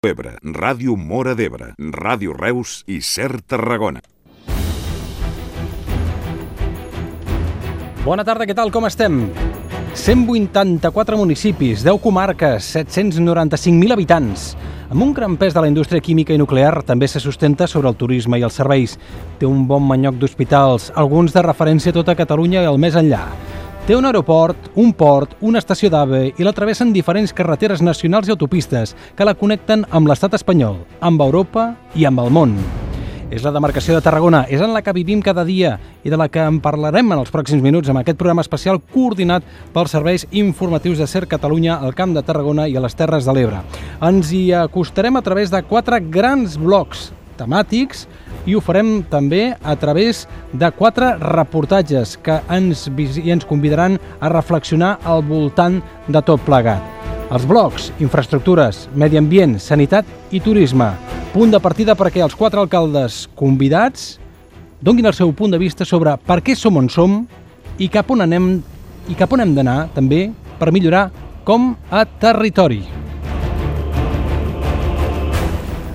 Ebre, Ràdio Móra d'Ebre, Ràdio Reus i Ser Tarragona. Bona tarda, què tal, com estem? 184 municipis, 10 comarques, 795.000 habitants. Amb un gran pes de la indústria química i nuclear, també se sustenta sobre el turisme i els serveis. Té un bon manyoc d'hospitals, alguns de referència a tota Catalunya i el més enllà. Té un aeroport, un port, una estació d'AVE i la travessen diferents carreteres nacionals i autopistes que la connecten amb l'estat espanyol, amb Europa i amb el món. És la demarcació de Tarragona, és en la que vivim cada dia i de la que en parlarem en els pròxims minuts amb aquest programa especial coordinat pels serveis informatius de Ser Catalunya al Camp de Tarragona i a les Terres de l'Ebre. Ens hi acostarem a través de 4 grans blocs temàtics i ho farem també a través de 4 reportatges que ens convidaran a reflexionar al voltant de tot plegat. Els blocs, infraestructures, medi ambient, sanitat i turisme. Punt de partida perquè els 4 alcaldes convidats donguin el seu punt de vista sobre per què som on som i cap on hem d'anar també per millorar com a territori.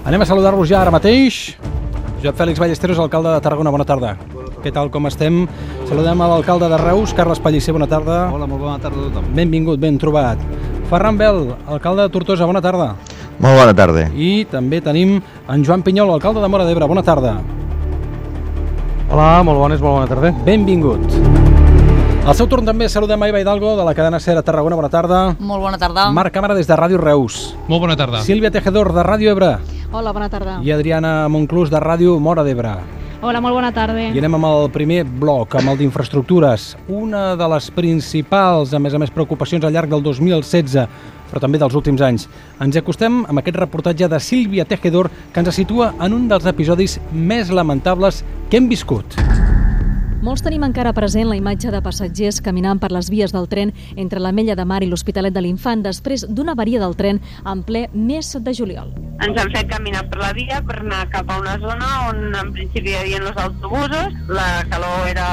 Anem a saludar-los ja ara mateix. Josep Fèlix Ballesteros, alcalde de Tarragona, bona tarda. Què tal, com estem? Saludem a l'alcalde de Reus, Carles Pellicer, bona tarda. Hola, molt bona tarda a tothom. Benvingut, ben trobat. Ferran Bel, alcalde de Tortosa, bona tarda. Molt bona tarda. I també tenim en Joan Pinyol, alcalde de Móra d'Ebre, bona tarda. Hola, molt bona tarda. Benvingut. Al seu torn també saludem a Eva Hidalgo, de la cadena Ser a Tarragona, bona tarda. Molt bona tarda. Marc Càmara, des de Ràdio Reus. Molt bona tarda. Sílvia Tejedor, de Ràdio Ebre. Hola, bona tarda. I Adriana Monclús, de Ràdio Móra d'Ebre. Hola, molt bona tarda. I anem amb el primer bloc, amb el d'infraestructures. Una de les principals, a més, preocupacions al llarg del 2016, però també dels últims anys. Ens acostem amb aquest reportatge de Sílvia Tejedor, que ens situa en un dels episodis més lamentables que hem viscut. Molts tenim encara present la imatge de passatgers caminant per les vies del tren entre l'Ametlla de Mar i l'Hospitalet de l'Infant després d'una avaria del tren en ple mes de juliol. Ens han fet caminar per la via per anar cap a una zona on en principi hi havia els autobusos, la calor era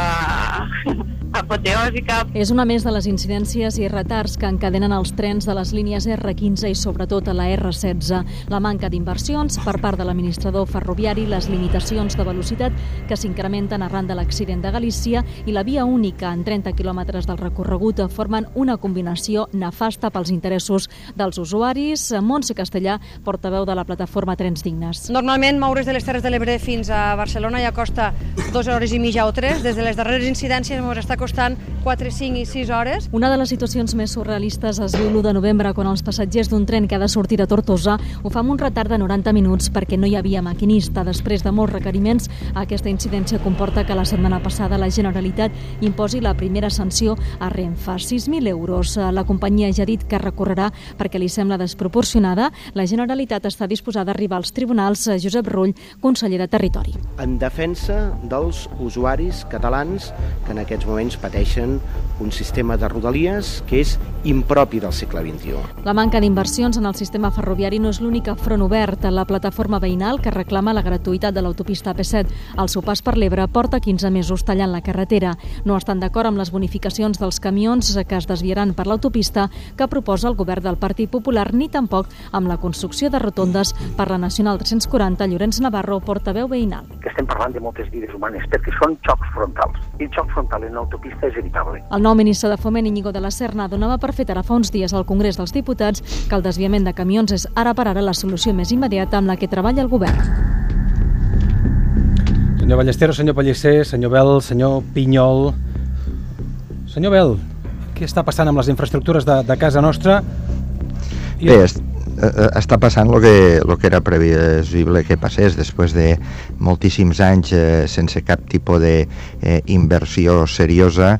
apoteòsica. És una més de les incidències i retards que encadenen els trens de les línies R15 i sobretot a la R16. La manca d'inversions per part de l'administrador ferroviari, les limitacions de velocitat que s'incrementen arran de l'accident de Galícia i la via única en 30 quilòmetres del recorregut formen una combinació nefasta pels interessos dels usuaris. Montse Castellà, portaveu de la plataforma Trens Dignes. Normalment moure's de les Terres de l'Ebre fins a Barcelona ja costa 2 hores i mitja o 3. Des de les darreres incidències ens està costant 4, 5 i 6 hores. Una de les situacions més surrealistes es viu l'1 de novembre quan els passatgers d'un tren que ha de sortir a Tortosa ho fa amb un retard de 90 minuts perquè no hi havia maquinista. Després de molts requeriments, aquesta incidència comporta que la setmana passada la Generalitat imposi la primera sanció a Renfe, 6.000 euros. La companyia ja ha dit que recorrerà perquè li sembla desproporcionada. La Generalitat està disposada a arribar als tribunals. Josep Rull, conseller de Territori. En defensa dels usuaris catalans que en aquests moments pateixen un sistema de rodalies que és impropi del segle XXI. La manca d'inversions en el sistema ferroviari no és l'únic front obert. La plataforma veïnal que reclama la gratuïtat de l'autopista AP7 al seu pas per l'Ebre porta 15 mesos tallant la carretera. No estan d'acord amb les bonificacions dels camions que es desviaran per l'autopista que proposa el govern del Partit Popular, ni tampoc amb la construcció de rotondes per la Nacional 340. Llorenç Navarro, portaveu veïnal. Estem parlant de moltes vides humanes perquè són xocs frontals i el xoc frontal en l'autopista és evitable. El nou ministre de Foment, Íñigo de la Serna, donava per fet ara fa uns dies al Congrés dels Diputats que el desviament de camions és ara per ara la solució més immediata amb la que treballa el govern. Senyor Ballesteros, senyor Pellicer, senyor Bel, senyor Pinyol. Senyor Bel, què està passant amb les infraestructures de casa nostra? Bé, està passant el que era previsible que passés després de moltíssims anys sense cap tipus d'inversió seriosa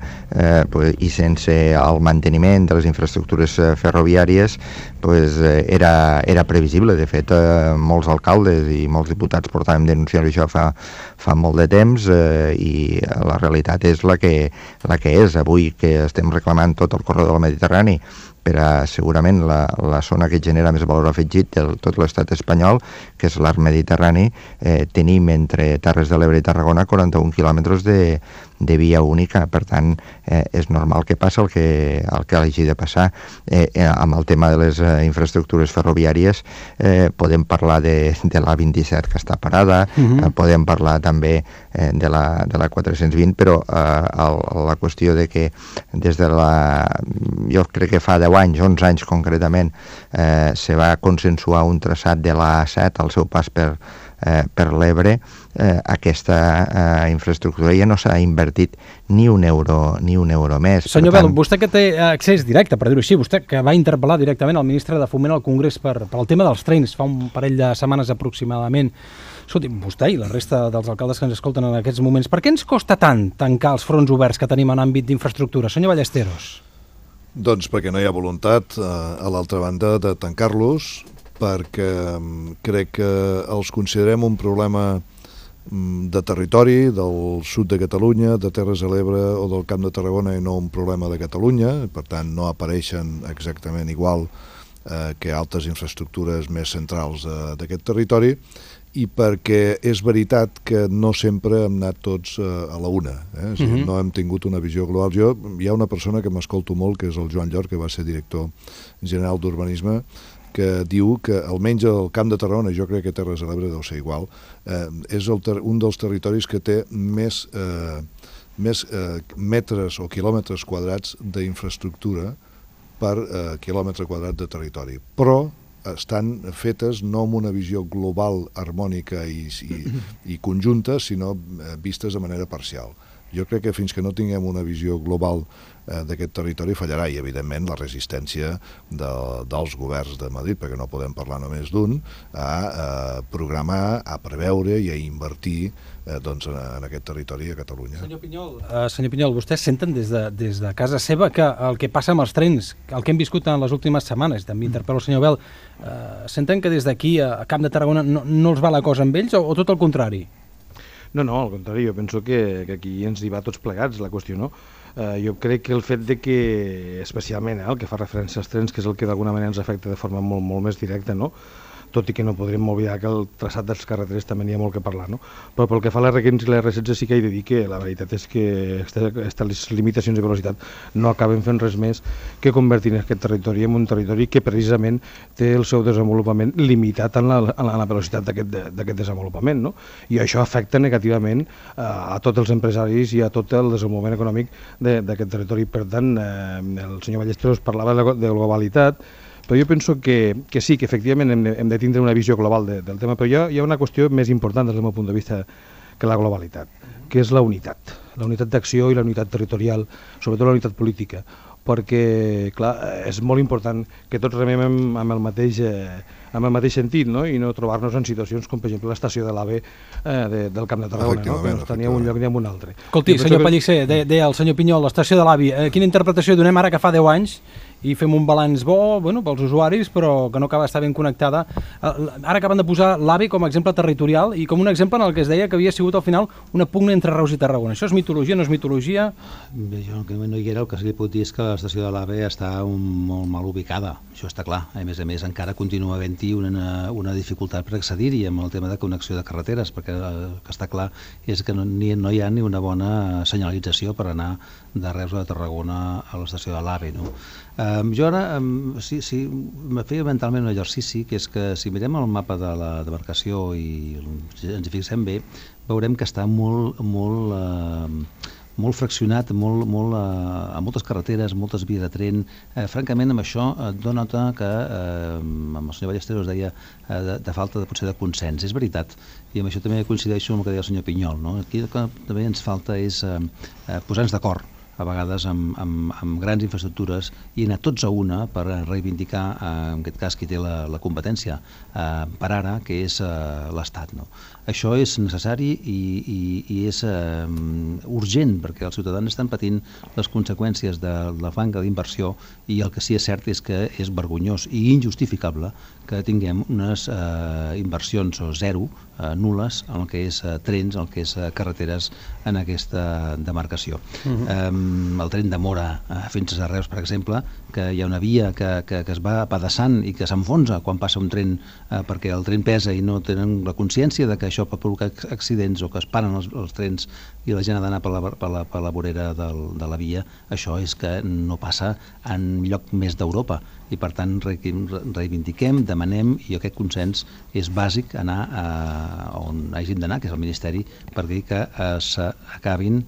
i sense el manteniment de les infraestructures ferroviàries. Era previsible. De fet, molts alcaldes i molts diputats portàvem denunciant això fa molt de temps i la realitat és la que és. Avui que estem reclamant tot el corredor del Mediterrani per a segurament la zona que genera més valor afegit de tot l'estat espanyol, que és l'arc mediterrani, tenim entre Terres de l'Ebre i Tarragona 41 quilòmetres via única, per tant és normal que passi el que hagi de passar. Amb el tema de les infraestructures ferroviàries podem parlar de l'A27 que està parada, podem parlar també de la 420, però la qüestió de que des de jo crec que fa 10 anys, 11 anys concretament, se va consensuar un traçat de l'A7 al seu pas per l'Ebre, aquesta infraestructura ja no s'ha invertit ni un euro més. Senyor Bel, vostè que té accés directe, per dir-ho així, vostè que va interpel·lar directament el ministre de Foment al Congrés per el tema dels trens fa un parell de setmanes aproximadament. Escolti, vostè i la resta dels alcaldes que ens escolten en aquests moments, per què ens costa tant tancar els fronts oberts que tenim en àmbit d'infraestructura? Senyor Ballesteros. Doncs perquè no hi ha voluntat, a l'altra banda, de tancar-los, perquè crec que els considerem un problema de territori, del sud de Catalunya, de Terres de l'Ebre o del Camp de Tarragona, i no un problema de Catalunya. Per tant, no apareixen exactament igual que altres infraestructures més centrals d'aquest territori, i perquè és veritat que no sempre hem anat tots a la una. És a dir, no hem tingut una visió global. Hi ha una persona que m'escolto molt, que és el Joan Llor, que va ser director general d'Urbanisme, que diu que almenys el Camp de Tarragona, jo crec que Terres de l'Ebre deu ser igual, és un dels territoris que té més metres o quilòmetres quadrats d'infraestructura per quilòmetre quadrat de territori. Però estan fetes no amb una visió global, harmònica i conjunta, sinó vistes de manera parcial. Jo crec que fins que no tinguem una visió global d'aquest territori fallarà, i evidentment la resistència dels governs de Madrid, perquè no podem parlar només d'un, a programar, a preveure i a invertir en aquest territori a Catalunya. Senyor Pinyol, vostès senten des de casa seva que el que passa amb els trens, el que hem viscut en les últimes setmanes, també interpel·lo el senyor Bel, senten que des d'aquí a Camp de Tarragona no els va la cosa amb ells o tot el contrari? No, al contrari, jo penso que aquí ens hi va tots plegats la qüestió, no? Jo crec que el fet de que, especialment el que fa referència als trens, que és el que d'alguna manera ens afecta de forma molt més directa, no? Tot i que no podrem oblidar que el traçat dels carreteres també n'hi ha molt que parlar, no? Però pel que fa a l'R15 i l'R16 sí que he de dir que la veritat és que aquestes limitacions de velocitat no acaben fent res més que convertir aquest territori en un territori que precisament té el seu desenvolupament limitat en la velocitat d'aquest desenvolupament, no? I això afecta negativament a tots els empresaris i a tot el desenvolupament econòmic d'aquest territori. Per tant, el senyor Ballesteros parlava de globalitat, però jo penso que sí, que efectivament hem de tindre una visió global del tema, però hi ha una qüestió més important des del meu punt de vista que la globalitat, que és la unitat d'acció i la unitat territorial, sobretot la unitat política, perquè, clar, és molt important que tots remem amb el mateix sentit, no? I no trobar-nos en situacions com, per exemple, l'estació de l'AVE del Camp de Tarragona, no? Que no està ni en un lloc ni en un altre. Escolti, senyor Pellicer, deia el senyor Pinyol, l'estació de l'AVE, quina interpretació donem ara que fa 10 anys i fem un balanç bo pels usuaris, però que no acaba d'estar ben connectada? Ara acaben de posar l'AVE com a exemple territorial i com un exemple en el que es deia que havia sigut al final una pugna entre Reus i Tarragona. Això és mitologia, no és mitologia? Bé, jo no hi era, el que sí que puc dir és que l'estació de l'AVE està molt mal ubicada, això està clar. A més, encara continua havent-hi una dificultat per accedir-hi amb el tema de connexió de carreteres, perquè el que està clar és que no hi ha ni una bona senyalització per anar de Reus a Tarragona a l'estació de l'AVE, no? Jo ara sí, me feia mentalment un exercici, que és que si mirem el mapa de la demarcació i ens hi fixem bé, veurem que està molt fraccionat, amb moltes carreteres, moltes vies de tren. Francament, amb això et dona nota que, amb el senyor Ballesteros deia, de falta potser de consens. És veritat, i amb això també coincideixo amb el que deia el senyor Pinyol, no? Aquí el que també ens falta és posar-nos d'acord a vegades amb grans infraestructures i anar tots a una per reivindicar, en aquest cas, qui té la competència per ara, que és l'Estat, no? Això és necessari i és urgent, perquè els ciutadans estan patint les conseqüències de la manca d'inversió, i el que sí és cert és que és vergonyós i injustificable que tinguem unes inversions zero, nul·les, en el que és trens, en el que és carreteres en aquesta demarcació. el tren de Móra fins a Reus, per exemple, que hi ha una via que es va apedaçant i que s'enfonsa quan passa un tren perquè el tren pesa i no tenen la consciència de que això pot provocar accidents o que es paren els trens i la gent ha d'anar per la vorera de la via. Això és que no passa en lloc més d'Europa i per tant reivindiquem, demanem, i aquest consens és bàsic anar on hàgim d'anar, que és el Ministeri, per dir que s'acabin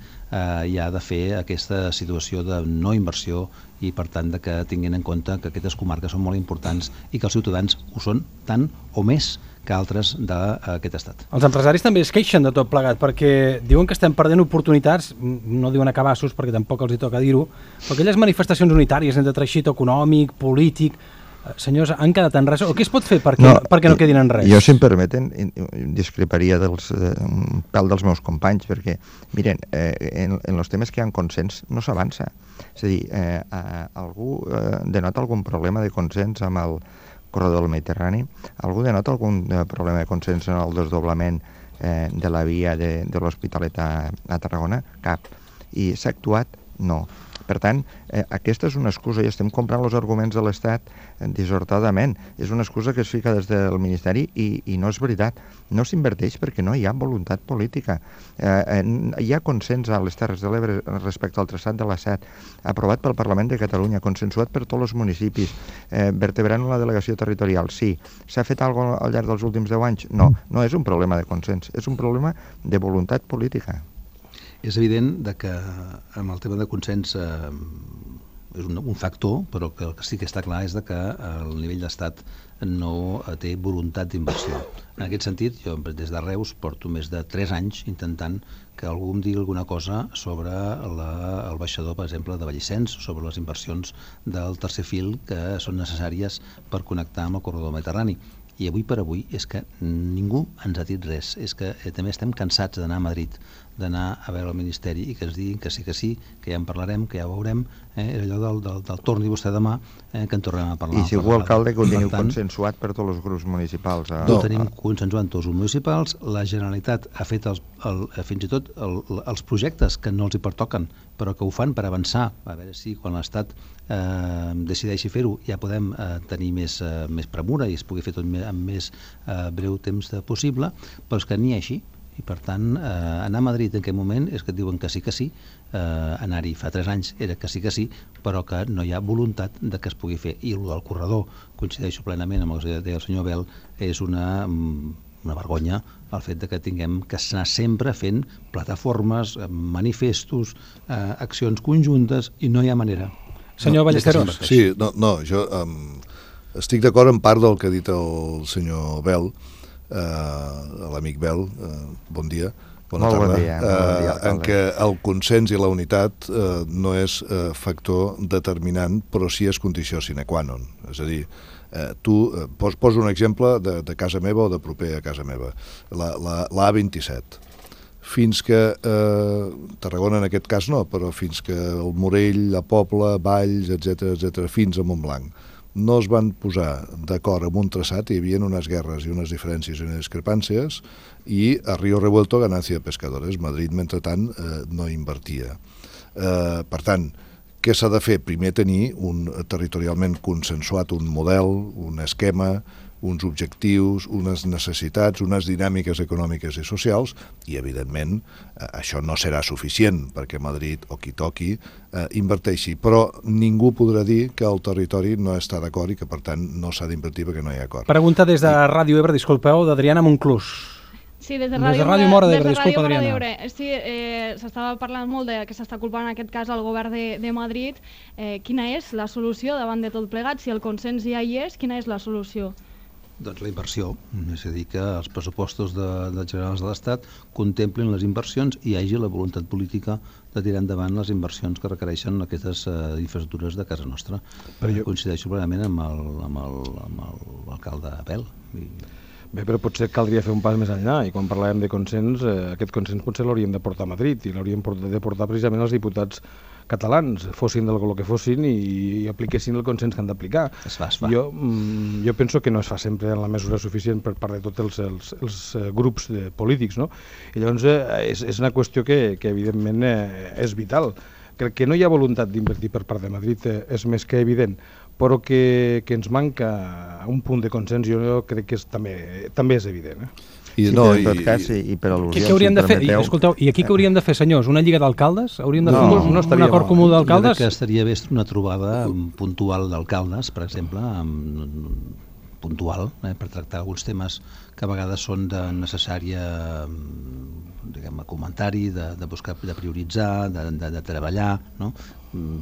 ja de fer aquesta situació de no inversió i per tant que tinguin en compte que aquestes comarques són molt importants i que els ciutadans ho són tant o més que altres d'aquest estat. Els empresaris també es queixen de tot plegat perquè diuen que estem perdent oportunitats, no diuen a cabassos perquè tampoc els hi toca dir-ho, però aquelles manifestacions unitàries entre teixit econòmic, polític, senyors, han quedat en res? O què es pot fer perquè no quedin en res? Jo, si em permeten, discreparia un pèl dels meus companys, perquè, miren, en els temes que hi ha consens no s'avança. És a dir, algú denota algun problema de consens amb el corredor del Mediterrani? Algú denota algun problema de consens en el desdoblament de la via de l'Hospitalet a Tarragona? Cap. I s'ha actuat? No. Per tant, aquesta és una excusa i estem comprant els arguments de l'Estat dissortadament. És una excusa que es fica des del Ministeri i no és veritat. No s'inverteix perquè no hi ha voluntat política. Hi ha consens a les Terres de l'Ebre respecte al traçat de l'A7, aprovat pel Parlament de Catalunya, consensuat per tots els municipis, vertebrant una delegació territorial. Sí. S'ha fet alguna cosa al llarg dels últims 10 anys? No. No és un problema de consens, és un problema de voluntat política. És evident que amb el tema de consens és un factor, però que el que sí que està clar és que el nivell d'estat no té voluntat d'inversió. En aquest sentit, jo des de Reus porto més de 3 anys intentant que algú em digui alguna cosa sobre el baixador, per exemple, de Vallicens, sobre les inversions del tercer fil que són necessàries per connectar amb el corredor mediterrani. I avui per avui és que ningú ens ha dit res. És que també estem cansats d'anar a Madrid, d'anar a veure el Ministeri i que ens diguin que sí, que ja en parlarem, que ja ho veurem, és allò del torni vostè demà, que en tornem a parlar. I si algú alcalde que ho teniu consensuat per tots els grups municipals. Ho tenim consensuat tots els municipals, la Generalitat ha fet fins i tot els projectes que no els hi pertoquen, però que ho fan per avançar, a veure si quan l'Estat decideixi fer-ho ja podem tenir més premura i es pugui fer tot amb més breu temps possible, però és que n'hi ha així. I per tant, anar a Madrid en aquest moment és que et diuen que sí, anar-hi fa 3 anys era que sí, però que no hi ha voluntat de que es pugui fer. I el del corredor, coincideixo plenament amb el que deia el senyor Bel, és una vergonya el fet de que tinguem que anar sempre fent plataformes, manifestos, accions conjuntes i no hi ha manera. Senyor Ballesteros. Sí, no, jo estic d'acord en part del que ha dit el senyor Bel, l'amic Bel, bon dia, bona tarda, en què el consens i la unitat no és factor determinant, però sí és condició sine qua non. És a dir, tu, poso un exemple de casa meva o de proper a casa meva, la A27. Fins que, Tarragona en aquest cas no, però fins que el Morell, la Pobla, Valls, etc., fins a Montblanc, no es van posar d'acord amb un traçat, hi havia unes guerres i unes diferències i unes discrepàncies, i a Río Revuelto ganancia de pescadores. Madrid, mentrestant, no invertia. Per tant, què s'ha de fer? Primer tenir territorialment consensuat un model, un esquema, uns objectius, unes necessitats, unes dinàmiques econòmiques i socials, i evidentment això no serà suficient perquè Madrid o qui toqui inverteixi, però ningú podrà dir que el territori no està d'acord i que per tant no s'ha d'invertir perquè no hi ha acord. Pregunta des de Ràdio Ebre, disculpeu, d'Adriana Monclús. Sí, des de Ràdio Mora d'Ebre, disculpa, Adriana. Sí, s'estava parlant molt que s'està culpant en aquest cas el govern de Madrid. Quina és la solució davant de tot plegat? Si el consens ja hi és, quina és la solució? Doncs la inversió, és a dir, que els pressupostos generals de l'Estat contemplin les inversions i hi hagi la voluntat política de tirar endavant les inversions que requereixen aquestes infraestructures de casa nostra. Coincideixo plenament amb l'alcalde Bel. Bé, però potser caldria fer un pas més enllà i quan parlàvem de consens, aquest consens potser l'hauríem de portar a Madrid i l'hauríem de portar precisament els diputats catalans, fossin del que fossin i apliquessin el consens que han d'aplicar. Es fa. Jo penso que no es fa sempre en la mesura suficient per part de tots els grups polítics, no? I llavors és una qüestió que evidentment és vital. Crec que no hi ha voluntat d'invertir per part de Madrid, és més que evident, però que ens manca un punt de consens, jo crec que també és evident. I en tot cas, i per al·lusió, què hauríem de fer? Escolteu, i aquí què hauríem de fer, senyors? Una lliga d'alcaldes? Hauríem de fer un acord comú d'alcaldes? Jo crec que estaria bé una trobada puntual d'alcaldes, per exemple, puntual, per tractar alguns temes que a vegades són de necessària comentari, de buscar, de prioritzar, de treballar, no?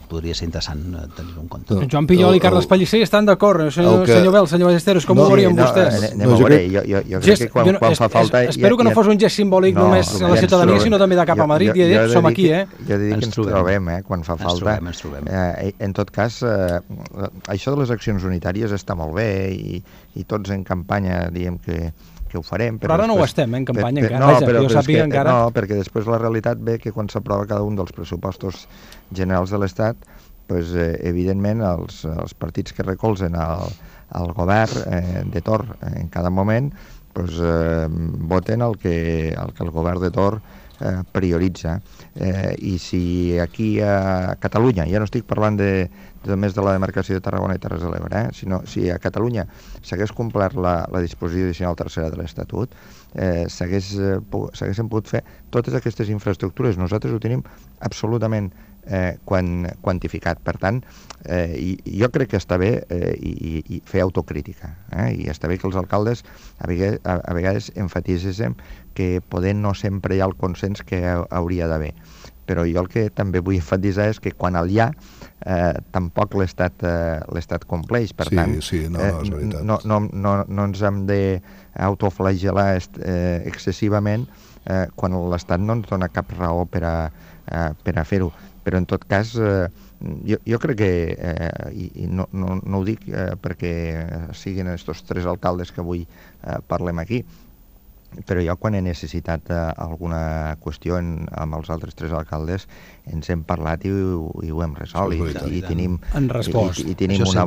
Podria ser interessant tenir-ho en compte. Joan Pillol i Carles Pellicer estan d'acord. Senyor Bel, senyor Ballesteros, com ho veurien vostès? Anem a veure, jo crec que quan fa falta... Espero que no fos un gest simbòlic només a la ciutadania, sinó també de cap a Madrid, i som aquí, Jo dic que ens trobem, quan fa falta. En tot cas, això de les accions unitàries està molt bé, i tots en campanya diem que ho farem. Però ara no ho estem, en campanya encara. Jo sàpiga encara... No, perquè després la realitat ve que quan s'aprova cada un dels pressupostos generals de l'Estat, evidentment els partits que recolzen el govern de torn en cada moment voten el que el govern de torn prioritza. I si aquí a Catalunya, ja no estic parlant només de la demarcació de Tarragona i Terres de l'Ebre, sinó si a Catalunya s'hagués complert la disposició addicional tercera de l'Estatut, s'haguessin pogut fer totes aquestes infraestructures. Nosaltres ho tenim absolutament quantificat. Per tant, jo crec que està bé fer autocrítica, i està bé que els alcaldes a vegades enfatitzem que poder no sempre hi ha el consens que hauria d'haver. Però jo el que també vull enfatitzar és que quan el hi ha, tampoc l'Estat compleix. Per tant, no ens hem d'autoflagelar excessivament quan l'Estat no ens dona cap raó per a fer-ho. Però en tot cas, jo crec que, i no ho dic perquè siguin aquests tres alcaldes que avui parlem aquí, però jo quan he necessitat alguna qüestió amb els altres tres alcaldes ens hem parlat i ho hem resolt i tenim una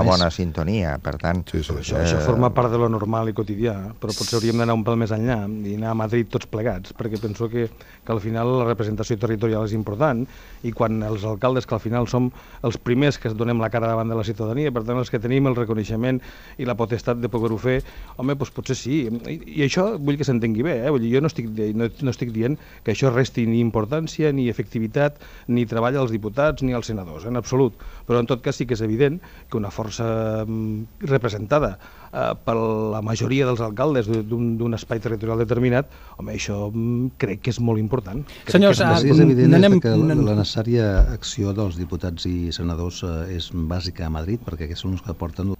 bona sintonia. Per tant, això forma part de lo normal i quotidià, però potser hauríem d'anar un pèl més enllà i anar a Madrid tots plegats, perquè penso que al final la representació territorial és important, i quan els alcaldes, que al final som els primers que donem la cara davant de la ciutadania, per tant els que tenim el reconeixement i la potestat de poder-ho fer, home, doncs potser sí. I això vull que s'entengui bé, jo no estic dient que això resti ni importància, ni efectivitat, ni treball als diputats, ni als senadors, en absolut. Però en tot cas sí que és evident que una força representada per la majoria dels alcaldes d'un espai territorial determinat, home, això crec que és molt important. Senyors, és evident que la necessària acció dels diputats i senadors és bàsica a Madrid, perquè aquests són els que porten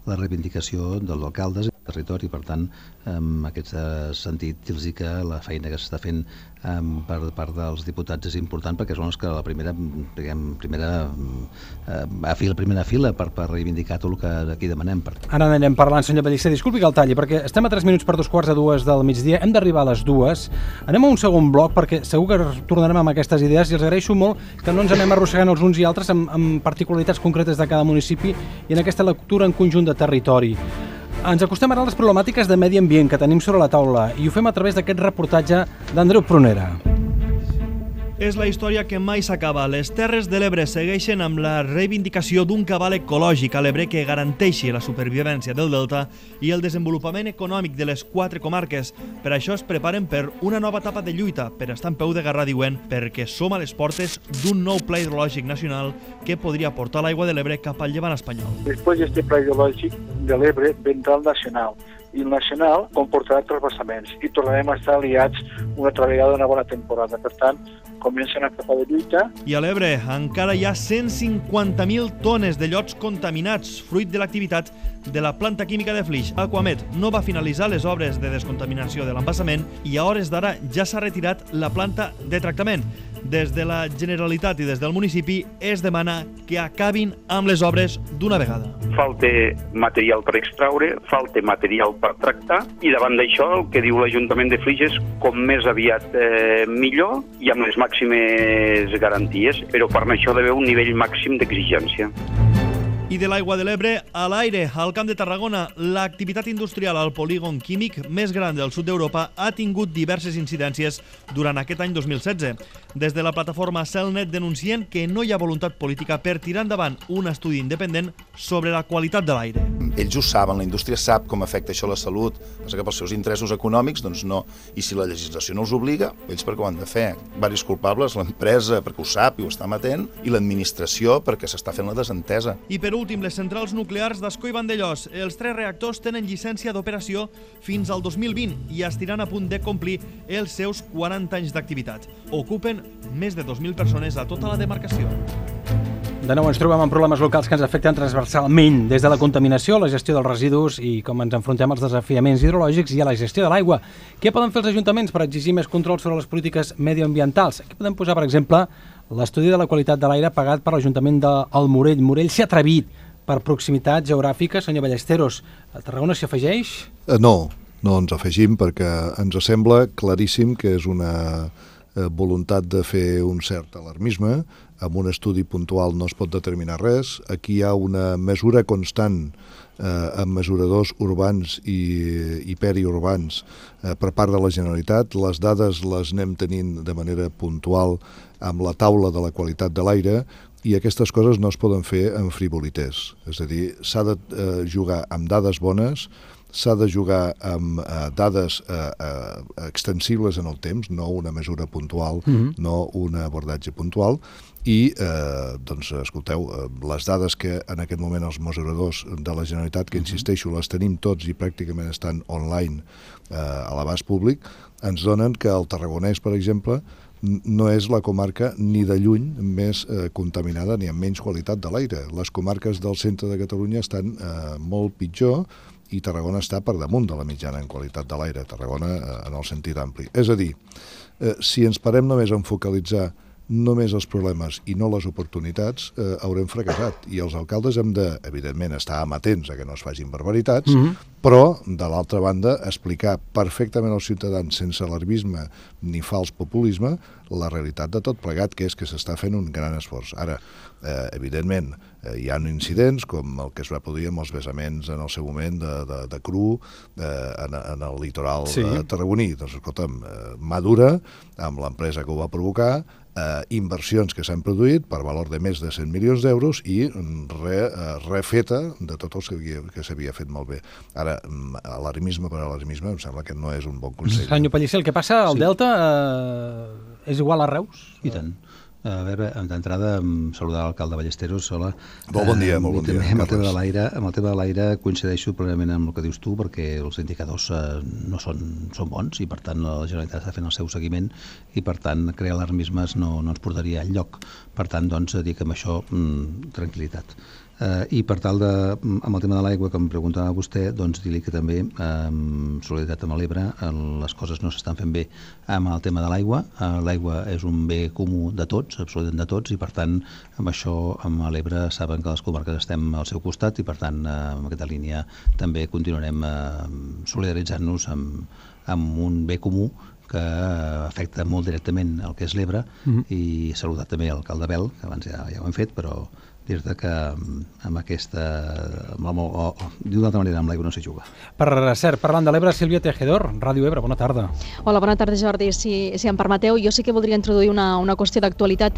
la reivindicació dels alcaldes i del territori. Per tant, en aquest sentit, dir-los que la feina que s'està fent per part dels diputats és important, perquè són els que la primera fila per reivindicar tot el que aquí demanem. Ara anirem parlant, senyor Pellicer. Disculpi que el talli, perquè estem a 3 minuts per 2:45 del migdia, hem d'arribar a les 2. Anem a un segon bloc, perquè segur que tornarem amb aquestes idees, i els agraeixo molt que no ens anem arrossegant els uns i altres amb particularitats concretes de cada municipi i en aquesta lectura en conjunt de territori. Ens acostem ara a les problemàtiques de medi ambient que tenim sobre la taula i ho fem a través d'aquest reportatge d'Andreu Prunera. És la història que mai s'acaba. Les Terres de l'Ebre segueixen amb la reivindicació d'un cabal ecològic a l'Ebre que garanteixi la supervivència del delta i el desenvolupament econòmic de les 4 comarques. Per això es preparen per una nova etapa de lluita, per estar en peu de guerra, diuen, perquè som a les portes d'un nou pla hidrològic nacional que podria portar l'aigua de l'Ebre cap al llevant espanyol. Després d'aquest pla hidrològic de l'Ebre vendrà el nacional, i el nacional comportarà transvasaments i tornarem a estar aliats una altra vegada una bona temporada. Per tant, comencen a etapa de lluita. I a l'Ebre encara hi ha 150.000 tones de llots contaminats, fruit de l'activitat de la planta química de Flix. Aquamed no va finalitzar les obres de descontaminació de l'embassament i a hores d'ara ja s'ha retirat la planta de tractament. Des de la Generalitat i des del municipi es demana que acabin amb les obres d'una vegada. Falta material per extraure, falta material per tractar, i davant d'això el que diu l'Ajuntament de Flix és com més aviat millor i amb les màximes garanties, però per això ha d'haver un nivell màxim d'exigència. I de l'aigua de l'Ebre a l'aire, al Camp de Tarragona, l'activitat industrial al polígon químic més gran del sud d'Europa ha tingut diverses incidències durant aquest any 2016. Des de la plataforma Celnet denuncien que no hi ha voluntat política per tirar endavant un estudi independent sobre la qualitat de l'aire. Ells ho saben, la indústria sap com afecta això a la salut, que pels seus interessos econòmics, doncs no. I si la legislació no els obliga, ells perquè ho han de fer. Varis culpables, l'empresa perquè ho sap i ho està emetent, i l'administració perquè s'està fent la desentesa. I per últim, les centrals nuclears d'Ascó i Vandellòs. Els 3 reactors tenen llicència d'operació fins al 2020 i estiran a punt de complir els seus 40 anys d'activitat. Ocupen més de 2.000 persones a tota la demarcació. De nou ens trobem amb problemes locals que ens afecten transversalment, des de la contaminació, la gestió dels residus i com ens enfrontem als desafiaments hidrològics i a la gestió de l'aigua. Què poden fer els ajuntaments per exigir més control sobre les polítiques medioambientals? Aquí podem posar, per exemple, l'estudi de la qualitat de l'aire pagat per l'Ajuntament del Morell. Morell s'ha atrevit per proximitat geogràfica, senyor Ballesteros. A Tarragona s'hi afegeix? No ens afegim perquè ens sembla claríssim que és una voluntat de fer un cert alarmisme. Amb un estudi puntual no es pot determinar res. Aquí hi ha una mesura constant amb mesuradors urbans i periurbans per part de la Generalitat. Les dades les anem tenint de manera puntual amb la taula de la qualitat de l'aire i aquestes coses no es poden fer amb frivolités. És a dir, s'ha de jugar amb dades bones, s'ha de jugar amb dades extensibles en el temps, no una mesura puntual, no un abordatge puntual, i, doncs, escolteu, les dades que en aquest moment els mesuradors de la Generalitat, que insisteixo, les tenim tots i pràcticament estan online a l'abast públic, ens donen que el Tarragonès, per exemple, no és la comarca ni de lluny més contaminada ni amb menys qualitat de l'aire. Les comarques del centre de Catalunya estan molt pitjor i Tarragona està per damunt de la mitjana en qualitat de l'aire, Tarragona en el sentit ampli. És a dir, si ens parem només a focalitzar només els problemes i no les oportunitats, haurem fracassat. I els alcaldes hem de, evidentment, estar amatents a que no es facin barbaritats, però, de l'altra banda, explicar perfectament als ciutadans, sense alarmisme ni fals populisme, la realitat de tot plegat, que és que s'està fent un gran esforç. Ara, evidentment, hi ha incidents com el que es va produir amb els vessaments en el seu moment de cru en el litoral tarragoní. Doncs, escolta'm, Madura, amb l'empresa que ho va provocar, inversions que s'han produït per valor de més de 100 milions d'euros i refeta de tot el que s'havia fet malbé. Ara, alarmisme per alarmisme em sembla que no és un bon consell. Senyor Pellicer, el que passa al Delta és igual a Reus? I tant. A veure, d'entrada, saludar l'alcalde Ballesteros. Hola. Bon dia, molt bon dia. Amb el tema de l'aire coincideixo plenament amb el que dius tu, perquè els indicadors no són bons i, per tant, la Generalitat està fent el seu seguiment i, per tant, crear alarmismes no ens portaria enlloc. Per tant, doncs, dic amb això tranquil·litat. I per tal de, amb el tema de l'aigua que em preguntava vostè, doncs dir-li que també solidaritat amb l'Ebre, les coses no s'estan fent bé amb el tema de l'aigua. L'aigua és un bé comú de tots, absolutament de tots, i per tant amb això, amb l'Ebre, saben que les comarques estem al seu costat i per tant amb aquesta línia també continuarem solidaritzant-nos amb un bé comú que afecta molt directament el que és l'Ebre i saludar també l'alcalde Bel, que abans ja ho hem fet, però dir-te que amb aquesta... D'una altra manera, amb l'aigua no s'hi juga. Per cert, parlant de l'Ebre, Sílvia Tejedor, Ràdio Ebre, bona tarda. Hola, bona tarda, Jordi. Si em permeteu, jo sí que voldria introduir una qüestió d'actualitat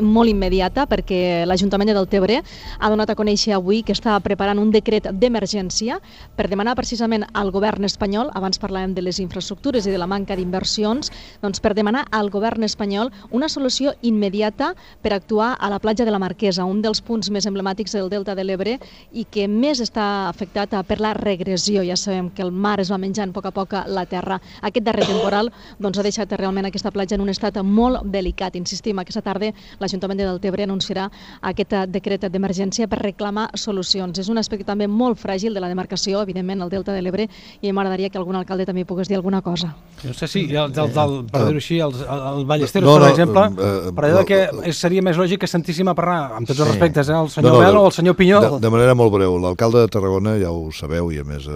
molt immediata, perquè l'Ajuntament de Deltebre ha donat a conèixer avui que està preparant un decret d'emergència per demanar precisament al govern espanyol, abans parlàvem de les infraestructures i de la manca d'inversions, doncs per demanar al govern espanyol una solució immediata per actuar a la platja de la Marquesa, un dels punts més emblemàtics del Delta de l'Ebre i que més està afectat per la regressió. Ja sabem que el mar es va menjant a poc la terra. Aquest darrer temporal ha deixat realment aquesta platja en un estat molt delicat. Insistim, aquesta tarda l'Ajuntament de Deltebre anunciarà aquest decret d'emergència per reclamar solucions. És un aspecte també molt fràgil de la demarcació, evidentment, el Delta de l'Ebre, i m'agradaria que algun alcalde també pogués dir alguna cosa. No sé si, per dir-ho així, el Ballesteros, per exemple, per allò que seria més lògic que sentíssim a parlar, amb tots els respectes, directes, el senyor Bel o el senyor Pinyol. De manera molt breu, l'alcalde de Tarragona, ja ho sabeu, i a més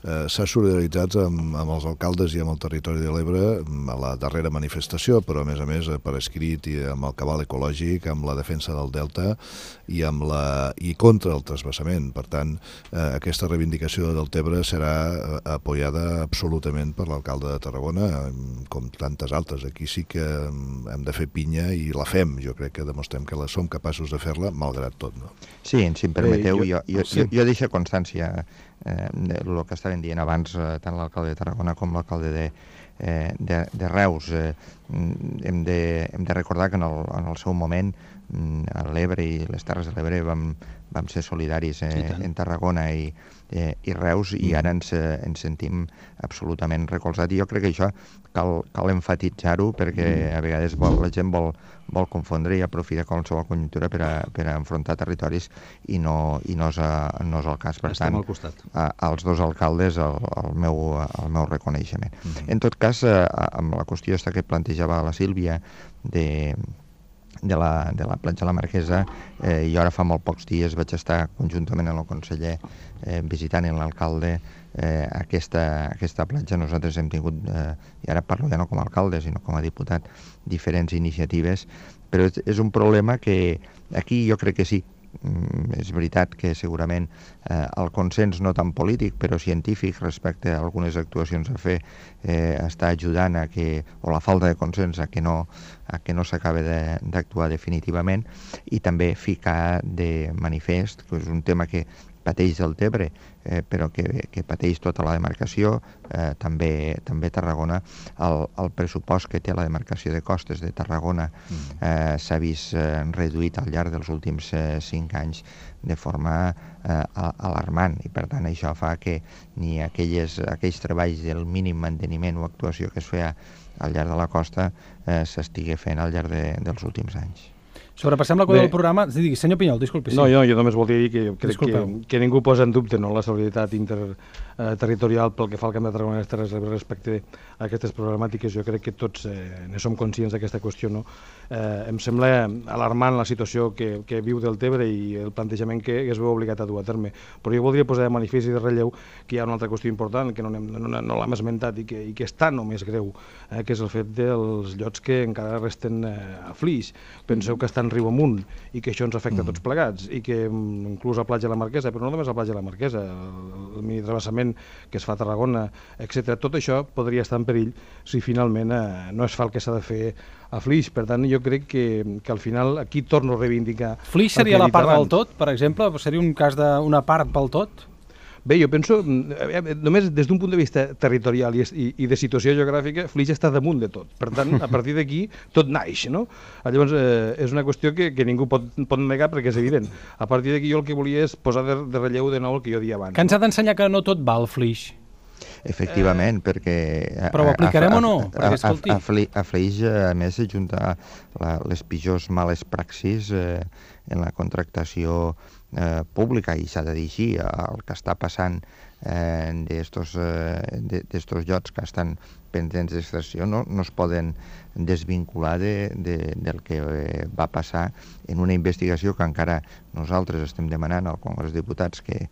s'ha solidaritzat amb els alcaldes i amb el territori de l'Ebre a la darrera manifestació, però a més per escrit i amb el cabal ecològic, amb la defensa del delta i contra el transvasament. Per tant, aquesta reivindicació del Tebre serà apoyada absolutament per l'alcalde de Tarragona, com tantes altres. Aquí sí que hem de fer pinya i la fem. Jo crec que demostrem que som capaços de fer-la, malgrat tot. No? Sí, si em permeteu, jo deixo constància del que estaven dient abans tant l'alcalde de Tarragona com l'alcalde de Reus. Hem de recordar que en el seu moment a l'Ebre i les Terres de l'Ebre vam ser solidaris en Tarragona i Reus, i ara ens sentim absolutament recolzats, i jo crec que això cal enfatitzar-ho, perquè a vegades la gent vol confondre i aprofitar qualsevol conjuntura per a enfrontar territoris i no és el cas. Per tant, als dos alcaldes el meu reconeixement. En tot cas, amb la qüestió que plantejava la Sílvia de la platja de la Marquesa, jo ara fa molt pocs dies vaig estar conjuntament amb el conseller visitant amb l'alcalde aquesta platja. Nosaltres hem tingut, i ara parlo ja no com a alcalde sinó com a diputat, diferents iniciatives, però és un problema que aquí jo crec que sí. És veritat que segurament el consens no tan polític però científic respecte a algunes actuacions a fer està ajudant o la falta de consens a que no s'acabi d'actuar definitivament, i també ficar de manifest que és un tema que pateix el Tebre, però que pateix tota la demarcació, també Tarragona. El pressupost que té la demarcació de costes de Tarragona s'ha vist reduït al llarg dels últims 5 anys de forma alarmant, i per tant això fa que ni aquells treballs del mínim manteniment o actuació que es feia al llarg de la costa s'estigui fent al llarg dels últims anys. Sobrepassem la quota del programa. Senyor Pinyol, disculpi. No, jo només volia dir que crec que ningú posa en dubte la solidaritat interterritorial pel que fa al Camp de Tarragona i les Terres de l'Ebre respecte a aquestes problemàtiques. Jo crec que tots ne som conscients d'aquesta qüestió. Em sembla alarmant la situació que viu del Tebre i el plantejament que es veu obligat a dur a terme. Però jo voldria posar de manifest i de relleu que hi ha una altra qüestió important que no l'hem esmentat i que és tan o més greu, que és el fet dels llots que encara resten a Flix. Penseu que estan riu amunt i que això ens afecta a tots plegats, i que inclús a Platja de la Marquesa, però no només a Platja de la Marquesa, el mini-travessament que es fa a Tarragona, etc. Tot això podria estar en perill si finalment no es fa el que s'ha de fer a Flix. Per tant, jo crec que al final aquí torno a reivindicar... Flix seria la part del tot, per exemple? Seria un cas d'una part pel tot? Bé, jo penso, només des d'un punt de vista territorial i de situació geogràfica, Flix està damunt de tot. Per tant, a partir d'aquí, tot naix, no? Llavors, és una qüestió que ningú pot negar perquè és evident. A partir d'aquí jo el que volia és posar de relleu de nou el que jo dia abans. Que ens ha d'ensenyar que no tot val, Flix. Efectivament, perquè... Però ho aplicarem o no? A Flix, a més, s'ajunta les pitjors males praxis en la contractació pública, i s'ha de dir així, el que està passant d'estos llots que estan pendents d'extracció no es poden desvincular del que va passar en una investigació que encara nosaltres estem demanant al Congrés dels Diputats que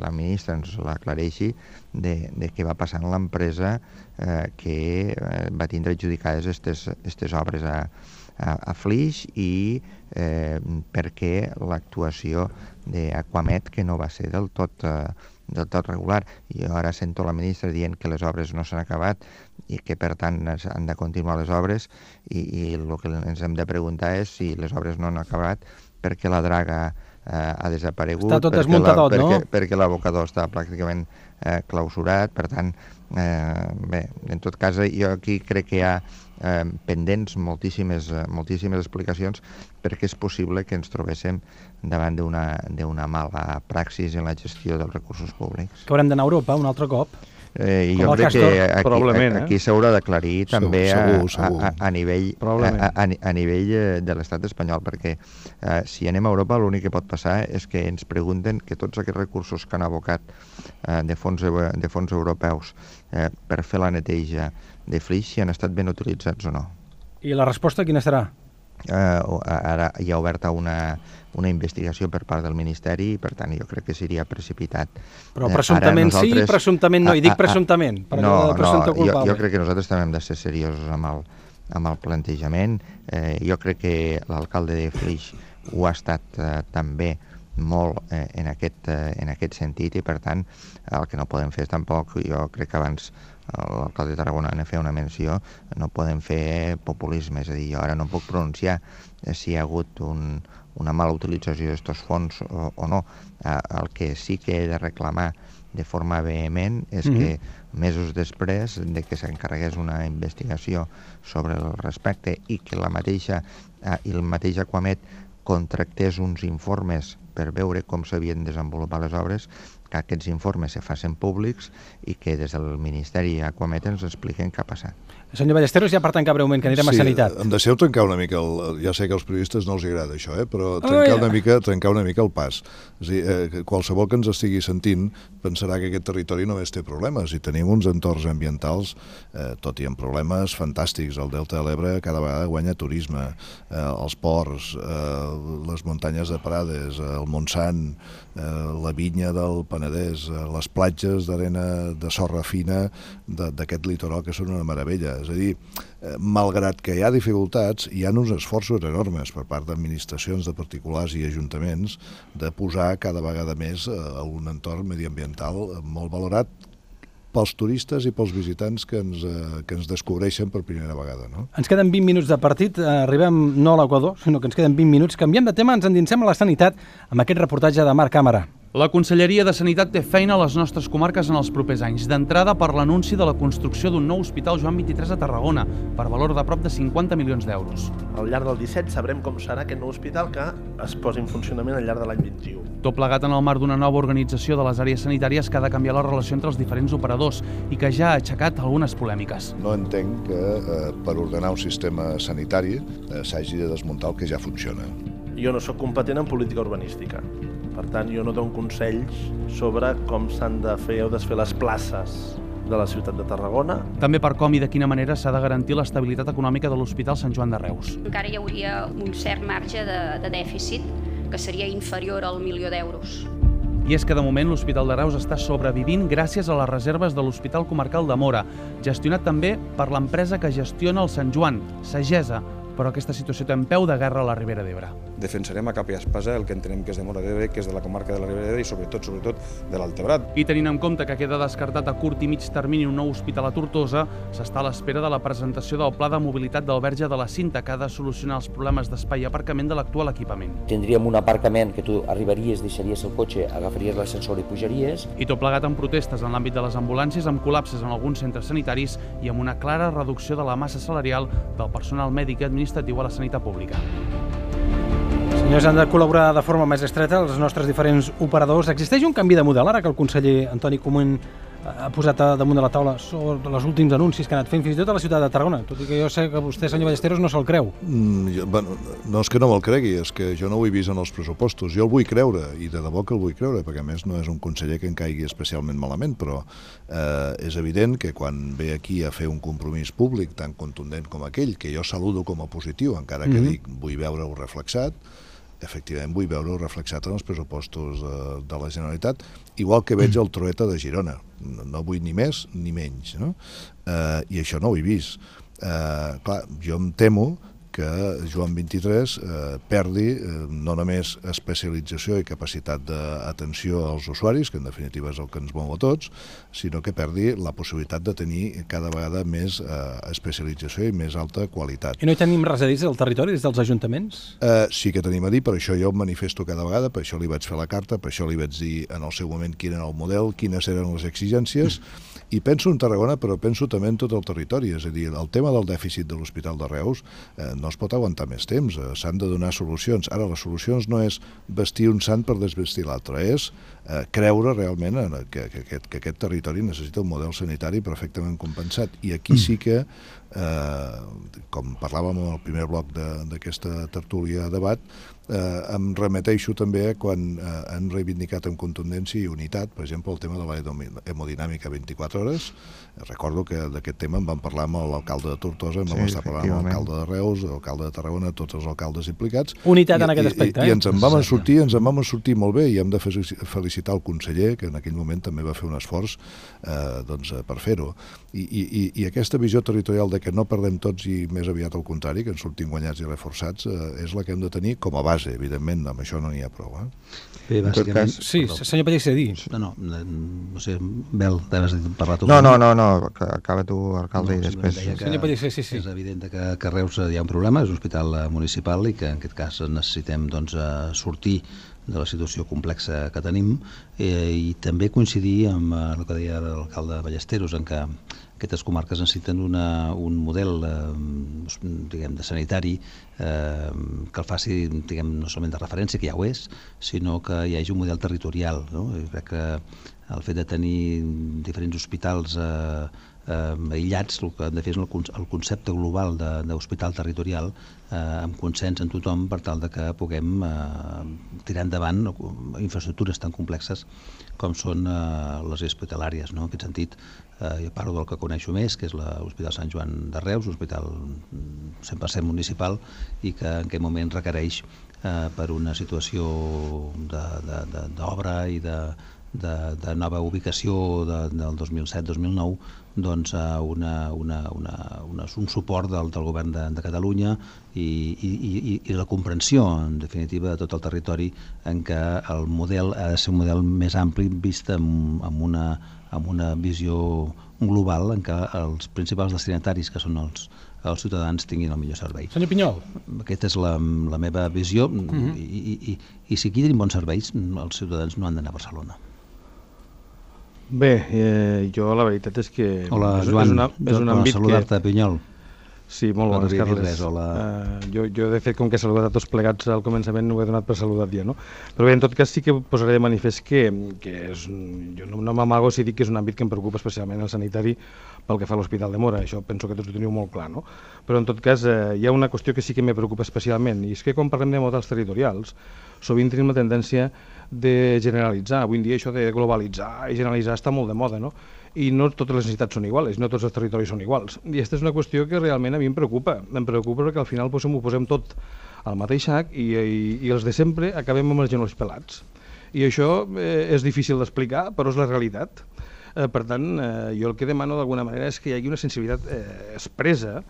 la ministra ens l'aclareixi, de què va passar en l'empresa que va tindre adjudicades aquestes obres a Flix, i perquè l'actuació d'Aquamet, que no va ser del tot regular. Jo ara sento la ministra dient que les obres no s'han acabat i que per tant han de continuar les obres, i el que ens hem de preguntar és si les obres no han acabat perquè la draga ha desaparegut, està tot desmuntadot, no? Perquè l'abocador està pràcticament clausurat. Per tant, bé, en tot cas, jo aquí crec que hi ha pendents moltíssimes explicacions, perquè és possible que ens trobéssim davant d'una mala praxis en la gestió dels recursos públics. Que haurem d'anar a Europa un altre cop? Jo crec que aquí s'haurà d'aclarir també a nivell de l'estat espanyol, perquè si anem a Europa l'únic que pot passar és que ens pregunten que tots aquests recursos que han abocat de fons europeus per fer la neteja de Flix si han estat ben utilitzats o no. I la resposta quina serà? ara hi ha oberta una investigació per part del Ministeri i, per tant, jo crec que seria precipitat. Però presumptament sí, presumptament no, i dic presumptament, per allò de presumpte culpable. Jo crec que nosaltres també hem de ser seriosos amb el plantejament. Jo crec que l'alcalde de Flix ho ha estat també molt en aquest sentit i, per tant, el que no podem fer és tampoc, jo crec que abans l'alcalde de Tarragona en feia una menció, no podem fer populisme, és a dir, jo ara no puc pronunciar si hi ha hagut una mala utilització d'aquests fons o no. El que sí que he de reclamar de forma vehement és que mesos després de que s'encarregués una investigació sobre el respecte i que el mateix Aquamet contractés uns informes per veure com s'havien desenvolupat les obres, que aquests informes se facin públics i que des del Ministeri Aquamet ens expliquen què ha passat. Senyor Ballesteros, ja per tancar breument, que anirem a Sanitat. Sí, em deixeu trencar una mica, ja sé que als periodistes no els agrada això, però trencar una mica el pas. És a dir, qualsevol que ens estigui sentint pensarà que aquest territori només té problemes i tenim uns entorns ambientals, tot i amb problemes fantàstics. El Delta de l'Ebre cada vegada guanya turisme, els ports, les muntanyes de Prades, el Montsant, la vinya del Penedès, les platges d'arena de sorra fina d'aquest litoral que són una meravella. És a dir, malgrat que hi ha dificultats, hi ha uns esforços enormes per part d'administracions, de particulars i ajuntaments de posar cada vegada més un entorn mediambiental molt valorat pels turistes i pels visitants que ens descobreixen per primera vegada. No? Ens queden 20 minuts de partit, arribem no a l'Equador, sinó que ens queden 20 minuts. Canviem de tema, ens endinsem a la sanitat amb aquest reportatge de Marc Càmara. La Conselleria de Sanitat té feina a les nostres comarques en els propers anys. D'entrada, per l'anunci de la construcció d'un nou hospital Joan 23 a Tarragona, per valor de prop de 50 milions d'euros. Al llarg del 17 sabrem com serà aquest nou hospital que es posi en funcionament al llarg de l'any 21. Tot plegat en el marc d'una nova organització de les àrees sanitàries que ha de canviar la relació entre els diferents operadors i que ja ha aixecat algunes polèmiques. No entenc que per ordenar un sistema sanitari s'hagi de desmuntar el que ja funciona. Jo no sóc competent en política urbanística. Per tant, jo no dono consells sobre com s'han de fer o desfer les places de la ciutat de Tarragona. També per com i de quina manera s'ha de garantir l'estabilitat econòmica de l'Hospital Sant Joan de Reus. Encara hi hauria un cert marge de dèficit que seria inferior al 1 milió d'euros. I és que de moment l'Hospital de Reus està sobrevivint gràcies a les reserves de l'Hospital Comarcal de Móra, gestionat també per l'empresa que gestiona el Sant Joan, Sagesa, però aquesta situació té en peu de guerra a la Ribera d'Ebre. Defensarem a capa i espasa el que entenem que és de Móra d'Ebre, que és de la comarca de la Ribera d'Ebre i sobretot de l'Altebrat. I tenint en compte que queda descartat a curt i mig termini un nou hospital a Tortosa, s'està a l'espera de la presentació del Pla de Mobilitat del Verge de la Cinta, que ha de solucionar els problemes d'espai i aparcament de l'actual equipament. Tindríem un aparcament que tu arribaries, deixaries el cotxe, agafaries l'ascensor i pujaries. I tot plegat amb protestes en l'àmbit de les ambulàncies, amb col·lapses en alguns centres sanitaris i amb una clara reducció de la massa salarial del personal mèdic i administratiu a la sanitat pública. Senyors, han de col·laborar de forma més estreta els nostres diferents operadors. Existeix un canvi de model ara que el conseller Antoni Comín ha posat damunt de la taula sobre els últims anuncis que ha anat fent fins i tot a la ciutat de Tarragona, tot i que jo sé que vostè, senyor Ballesteros, no se'l creu. No és que no me'l cregui, és que jo no ho he vist en els pressupostos. Jo el vull creure, i de debò que el vull creure, perquè a més no és un conseller que en caigui especialment malament, però és evident que quan ve aquí a fer un compromís públic tan contundent com aquell, que jo saludo com a positiu, encara que dic vull veure-ho reflexat, efectivament vull veure-ho reflexat en els pressupostos de la Generalitat, igual que veig el Trueta de Girona. No vull ni més ni menys, no? I això no ho he vist. Clar, jo em temo que Joan 23 perdi no només especialització i capacitat d'atenció als usuaris, que en definitiva és el que ens mou a tots, sinó que perdi la possibilitat de tenir cada vegada més especialització i més alta qualitat. I no hi tenim res a dir del territori, des dels ajuntaments? Sí que tenim a dir, per això jo em manifesto cada vegada, per això li vaig fer la carta, per això li vaig dir en el seu moment quin era el model, quines eren les exigències, i penso en Tarragona, però penso també en tot el territori, és a dir, el tema del dèficit de l'Hospital de Reus no es pot aguantar més temps, s'han de donar solucions. Ara, les solucions no és vestir un sant per desvestir l'altre, és creure realment que aquest territori necessita un model sanitari perfectament compensat. I aquí sí que, com parlàvem en el primer bloc d'aquesta tertúlia debat, em remeteixo també quan han reivindicat amb contundència i unitat, per exemple, el tema de la hemodinàmica 24 hores. Recordo que d'aquest tema en vam parlar amb l'alcalde de Tortosa, vam estar parlant amb l'alcalde de Reus, l'alcalde de Tarragona, tots els alcaldes implicats. Unitat en aquest aspecte, I ens en vam sortir molt bé, i hem de felicitar el conseller, que en aquell moment també va fer un esforç per fer-ho. I aquesta visió territorial de que no perdem tots i més aviat al contrari, que ens sortim guanyats i reforçats, és la que hem de tenir com a base, evidentment, amb això no n'hi ha prou. Bé, bàsicament... Sí, senyor Pellicer, no sé, Bel, t'haves parlat tu. No, acaba tu, alcalde, i després... Senyor Pellicer, sí. És evident que a Reus hi ha un problema, és un hospital municipal i que en aquest cas necessitem sortir de la situació complexa que tenim i també coincidir amb el que deia l'alcalde Ballesteros, en que aquestes comarques necessiten un model de sanitari que el faci no solament de referència, que ja ho és, sinó que hi hagi un model territorial. Jo crec que el fet de tenir diferents hospitals aïllats, el que hem de fer és el concepte global d'hospital territorial amb consens en tothom per tal que puguem tirar endavant infraestructures tan complexes com són les hospitalàries. En aquest sentit, jo parlo del que coneixo més, que és l'Hospital Sant Joan de Reus, un hospital 100% municipal i que en aquest moment requereix per una situació d'obra i de nova ubicació del 2007-2009 doncs un suport del govern de Catalunya i la comprensió en definitiva de tot el territori en què el model ha de ser un model més ampli vist amb una visió global en què els principals destinataris que són els ciutadans tinguin el millor servei. Senyor Pinyol. Aquesta és la meva visió i si aquí tenim bons serveis els ciutadans no han d'anar a Barcelona. Bé, jo la veritat és que... Hola, Joan, saludar-te, Pinyol. Sí, molt bones, Carles. Jo, de fet, com que he saludat a tots plegats al començament, no ho he donat per saludat ja, no? Però bé, en tot cas sí que posaré de manifest que jo no m'amago si dic que és un àmbit que em preocupa especialment el sanitari pel que fa a l'Hospital de Móra, això penso que tots ho teniu molt clar, no? Però en tot cas hi ha una qüestió que sí que me preocupa especialment, i és que quan parlem de models territorials, sovint tenim la tendència de generalitzar. Avui en dia això de globalitzar i generalitzar està molt de moda, no? I no totes les necessitats són iguals, no tots els territoris són iguals. I aquesta és una qüestió que realment a mi em preocupa perquè al final ho posem tot al mateix sac i els de sempre acabem amb els genolls pelats. I això és difícil d'explicar, però és la realitat. Per tant, jo el que demano d'alguna manera és que hi hagi una sensibilitat expressa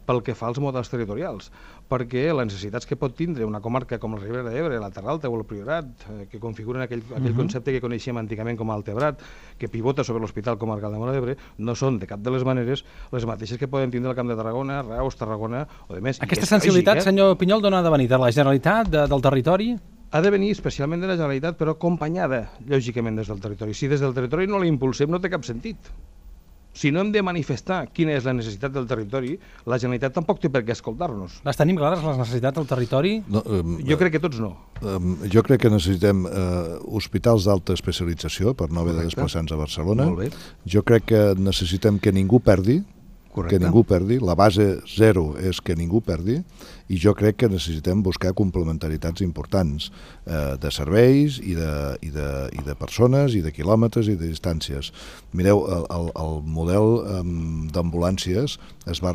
pel que fa als models territorials, perquè les necessitats que pot tindre una comarca com la Ribera d'Ebre, la Terra Alta o el Priorat, que configuren aquell concepte que coneixíem antigament com a Altebrat, que pivota sobre l'Hospital Comarcal de Móra d'Ebre, no són de cap de les maneres les mateixes que poden tindre el Camp de Tarragona, Reus, Tarragona o de més. Aquesta sensibilitat, senyor Pinyol, d'on ha de venir? De la Generalitat, del territori? Ha de venir especialment de la Generalitat, però acompanyada, lògicament, des del territori. Si des del territori no la impulsem, no té cap sentit. Si no hem de manifestar quina és la necessitat del territori, la Generalitat tampoc té per què escoltar-nos. Les tenim clares, les necessitats del territori? No, jo crec que tots no. Jo crec que necessitem hospitals d'alta especialització per no haver de desplaçar-nos a Barcelona. Jo crec que necessitem que ningú perdi, la base zero és que ningú perdi, i jo crec que necessitem buscar complementaritats importants de serveis i de persones i de quilòmetres i de distàncies. Mireu, el model d'ambulàncies es va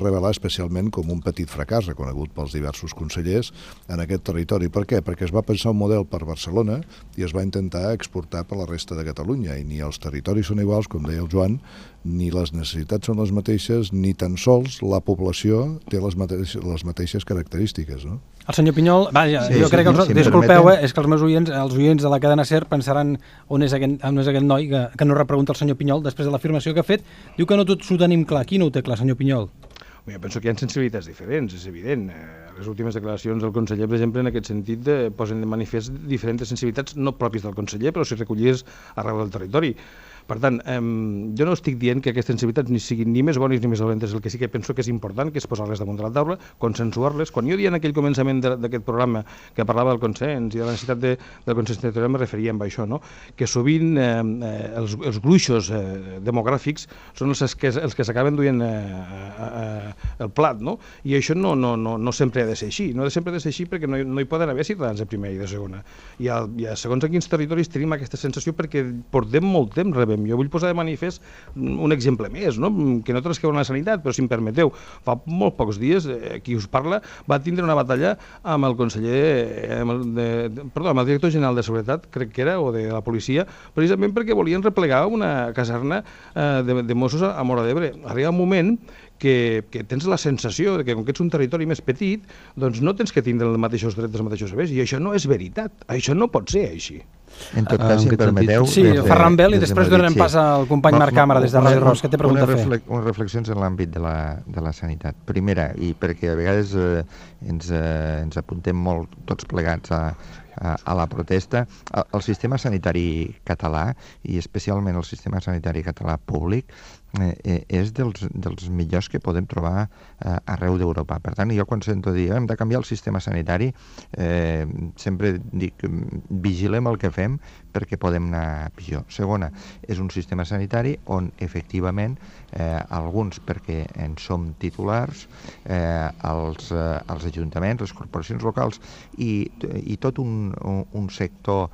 revelar especialment com un petit fracàs reconegut pels diversos consellers en aquest territori. Per què? Perquè es va pensar un model per Barcelona i es va intentar exportar per la resta de Catalunya, i ni els territoris són iguals, com deia el Joan, ni les necessitats són les mateixes, ni tan sols la població té les mateixes característiques, no? El senyor Pinyol, vaja, jo crec que, disculpeu, és que els meus oients, els oients de la cadena SER pensaran on és aquest noi que no repregunta el senyor Pinyol després de l'afirmació que ha fet. Diu que no tots ho tenim clar. Qui no ho té clar, senyor Pinyol? Jo penso que hi ha sensibilitats diferents, és evident. Les últimes declaracions del conseller, per exemple, en aquest sentit, posen de manifest diferents sensibilitats, no pròpies del conseller, però si recollides arreu del territori. Per tant, jo no estic dient que aquestes sensibilitats ni siguin ni més bones ni més dolentes. El que sí que penso que és important, que és posar-les damunt de la taula, consensuar-les. Quan jo dia en aquell començament d'aquest programa que parlava del consens i de la necessitat del consens territorial, me referia a això, no? Que sovint els gruixos demogràfics són els que s'acaben duent el plat, no? I això no sempre ha de ser així. No sempre ha de ser així perquè no hi poden haver ciutadans de primera i de segona. I segons a quins territoris tenim aquesta sensació perquè portem molt temps rebem. Jo vull posar de manifest un exemple més, no? Que no trasqueu la sanitat, però si em permeteu, fa molt pocs dies qui us parla va tindre una batalla amb el amb el director general de Seguretat, crec que era, o de la policia, precisament perquè volien replegar una caserna de Mossos a Móra d'Ebre. Arriba un moment que tens la sensació que com que ets un territori més petit, doncs no tens que tindre els mateixos drets, els mateixos serveis, i això no és veritat, això no pot ser així. En tot cas, si em permeteu... Sí, Ferran Bel, i després donarem pas al company Marc Càmera des de Ràdio Ros, que té pregunta a fer. Unes reflexions en l'àmbit de la sanitat. Primera, i perquè a vegades ens apuntem molt tots plegats a la protesta, el sistema sanitari català, i especialment el sistema sanitari català públic, és dels millors que podem trobar arreu d'Europa. Per tant, jo quan sento dir hem de canviar el sistema sanitari, sempre dic vigilem el que fem perquè podem anar pitjor. Segona, és un sistema sanitari on efectivament alguns, perquè en som titulars, els ajuntaments, les corporacions locals i tot un sector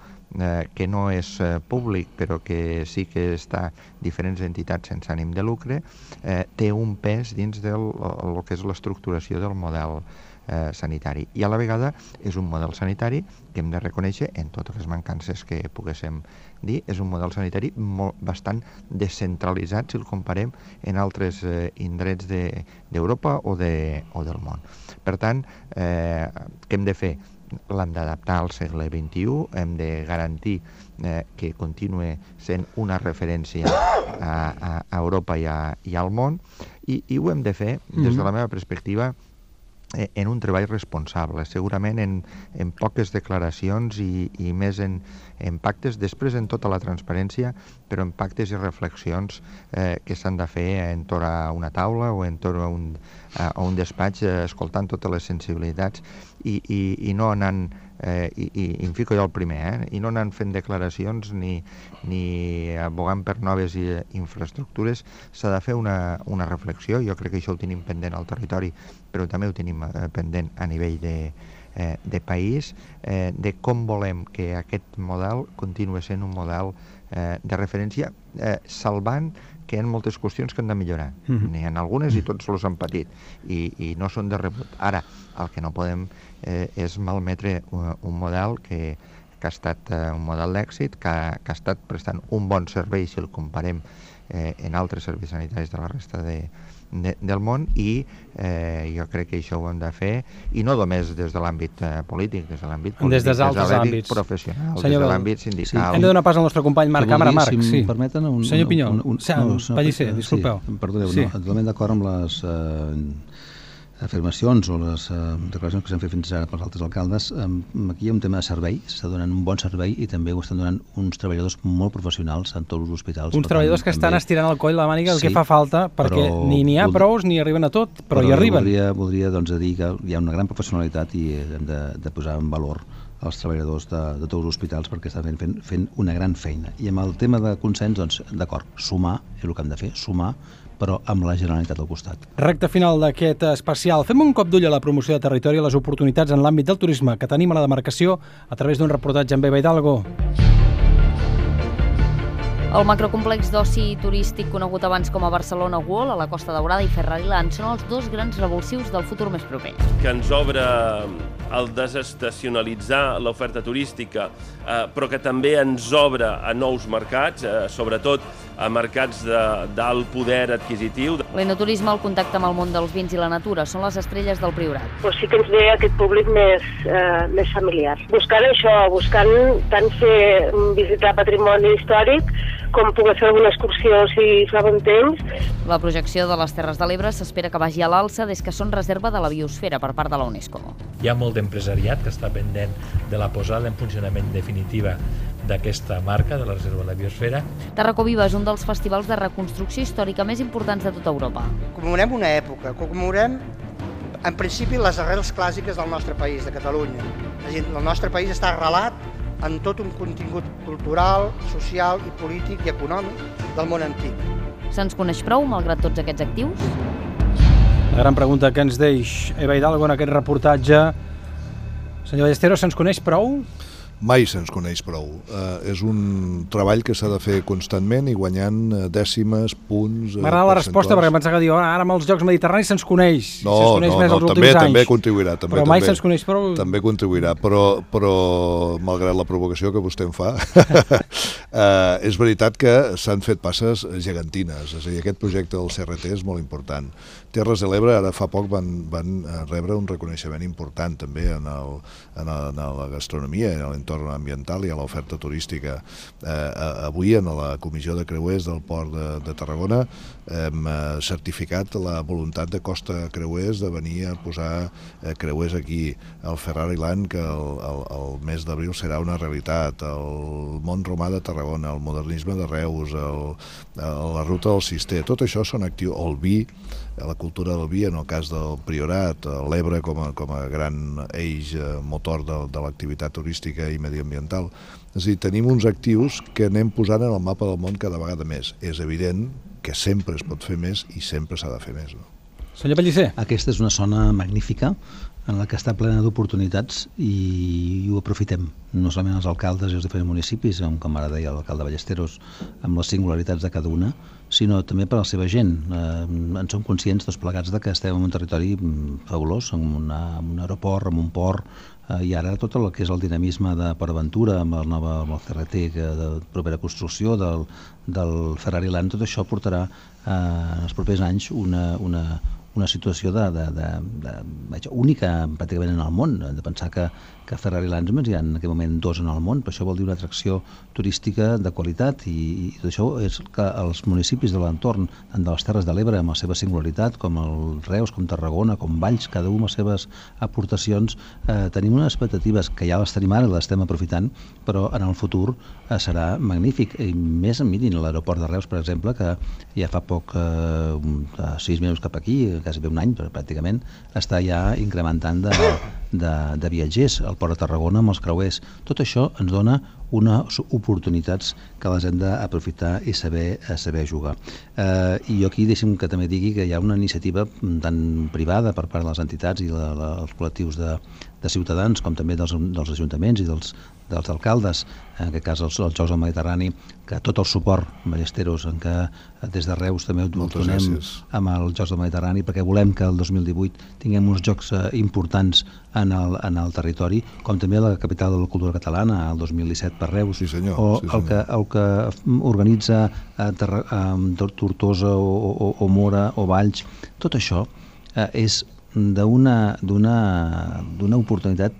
que no és públic però que sí que està diferents entitats sense ànim de lucre, té un pes dins del que és l'estructuració del model sanitari. I a la vegada és un model sanitari que hem de reconèixer, en totes les mancances que poguéssim dir, és un model sanitari bastant descentralitzat si el comparem en altres indrets d'Europa o del món. Per tant, què hem de fer? L'hem d'adaptar al segle XXI, hem de garantir que continue sent una referència a Europa i al món, i ho hem de fer, des de la meva perspectiva, en un treball responsable, segurament en poques declaracions i més en pactes, després en tota la transparència, però en pactes i reflexions que s'han de fer entorn a una taula o entorn a un despatx, escoltant totes les sensibilitats i no anant, i em fico jo el primer, i no anant fent declaracions ni abogant per noves infraestructures. S'ha de fer una reflexió. Jo crec que això ho tenim pendent al territori, però també ho tenim pendent a nivell de país, de com volem que aquest model continuï sent un model de referència, salvant que hi ha moltes qüestions que han de millorar. N'hi ha algunes i tots els han patit i no són de rebut. Ara, el que no podem és malmetre un model que ha estat un model d'èxit, que ha estat prestant un bon servei si el comparem en altres serveis sanitaris de la resta del món, i jo crec que això ho hem de fer, i no només des de l'àmbit polític, des de l'àmbit professional, des de l'àmbit sindical. Hem de donar pas al nostre company Marc Càmera. Marc, si em permeten... Senyor Pinyol, Pellicer, disculpeu. Perdoneu, totalment d'acord amb les afirmacions o les declaracions que s'han fet fins ara pels altres alcaldes. Aquí hi ha un tema de servei, s'està donant un bon servei i també ho estan donant uns treballadors molt professionals en tots els hospitals. Uns treballadors que estan estirant el coll la màniga el que fa falta, perquè ni n'hi ha prous ni arriben a tot, però hi arriben. Voldria dir que hi ha una gran professionalitat i hem de posar en valor els treballadors de tots els hospitals perquè estan fent una gran feina. I amb el tema de consens, doncs, d'acord, sumar, és el que hem de fer, sumar, però amb la Generalitat al costat. Recte final d'aquest especial. Fem un cop d'ull a la promoció de territori i les oportunitats en l'àmbit del turisme que tenim a la demarcació a través d'un reportatge amb Eva Hidalgo. El macrocomplex d'oci turístic conegut abans com a Barcelona World, a la Costa Daurada i Ferrariland són els dos grans revulsius del futur més proper. Que ens obre el desestacionalitzar l'oferta turística, però que també ens obre a nous mercats, sobretot a mercats d'alt poder adquisitiu. L'enoturisme, el contacte amb el món dels vins i la natura, són les estrelles del Priorat. Pues sí que ens ve aquest públic més familiar. Buscant això, buscant tant fer visitar patrimoni històric com poder fer alguna excursió si fa bon temps. La projecció de les Terres de l'Ebre s'espera que vagi a l'alça des que són reserva de la biosfera per part de la UNESCO. Hi ha molt d'empresariat que està pendent de la posada en funcionament definitiva d'aquesta marca, de la Reserva de la Biosfera. Tarracó Viva és un dels festivals de reconstrucció històrica més importants de tota Europa. Commemorem una època, commemorem en principi les arrels clàssiques del nostre país, de Catalunya. El nostre país està arrelat en tot un contingut cultural, social i polític i econòmic del món antic. Se'ns coneix prou, malgrat tots aquests actius? La gran pregunta que ens deix Eva Hidalgo en aquest reportatge. Senyor Ballesteros, se'ns coneix prou? Mai se'ns coneix prou. És un treball que s'ha de fer constantment i guanyant dècimes, punts... M'agrada la resposta perquè em pensava que diu ara amb els Jocs Mediterranis se'ns coneix. No, també contribuirà. Però mai se'ns coneix prou. També contribuirà, però malgrat la provocació que vostè em fa, és veritat que s'han fet passes gegantines. És a dir, aquest projecte del CRT és molt important. Terres de l'Ebre ara fa poc van rebre un reconeixement important també en la gastronomia, en l'entorn ambiental i a l'oferta turística. Avui en la Comissió de Creuers del Port de Tarragona hem certificat la voluntat de Costa Creuers de venir a posar creuers aquí, el Ferrari Land, que el mes d'abril serà una realitat, el món romà de Tarragona, el modernisme de Reus, la ruta del Cister, tot això són actius, el vi, la cultura del vi en el cas del Priorat, l'Ebre com a gran eix motor de l'activitat turística i mediambiental. És a dir, tenim uns actius que anem posant en el mapa del món cada vegada més. És evident que sempre es pot fer més i sempre s'ha de fer més. Senyor Pellicer. Aquesta és una zona magnífica en la que està plena d'oportunitats i ho aprofitem, no solament els alcaldes i els diferents municipis, com ara deia l'alcalde Ballesteros, amb les singularitats de cada una, sinó també per a la seva gent. En som conscients tots plegats de que estem en un territori fabulós, en un aeroport, en un port, i ara tot el que és el dinamisme de Port Aventura, amb el CRT de propera construcció, del Ferrari Land, tot això portarà en els propers anys una situació única pràcticament en el món, de pensar que Ferrari Land només hi ha en aquell moment 2 en el món, però això vol dir una atracció turística de qualitat i tot això és que els municipis de l'entorn, tant de les Terres de l'Ebre amb la seva singularitat, com el Reus, com Tarragona, com Valls, cada un amb les seves aportacions, tenim unes expectatives que ja les tenim ara i les estem aprofitant, però en el futur serà magnífic. I més, mirin, l'aeroport de Reus, per exemple, que ja fa poc, 6 mesos cap aquí, quasi un any, però pràcticament, està ja incrementant de viatgers. El Port de Tarragona amb els creuers. Tot això ens dona unes oportunitats que les hem d'aprofitar i saber jugar. I jo aquí deixem que també digui que hi ha una iniciativa tant privada per part de les entitats i els col·lectius de ciutadans, com també dels ajuntaments i dels alcaldes, en aquest cas els Jocs del Mediterrani, que tot el suport, Ballesteros, en què des de Reus també ho donem amb els Jocs del Mediterrani, perquè volem que el 2018 tinguem uns jocs importants en el territori, com també la capital de la cultura catalana, el 2017 per Reus, el que organitza Tortosa o Mora o Valls. Tot això és d'una oportunitat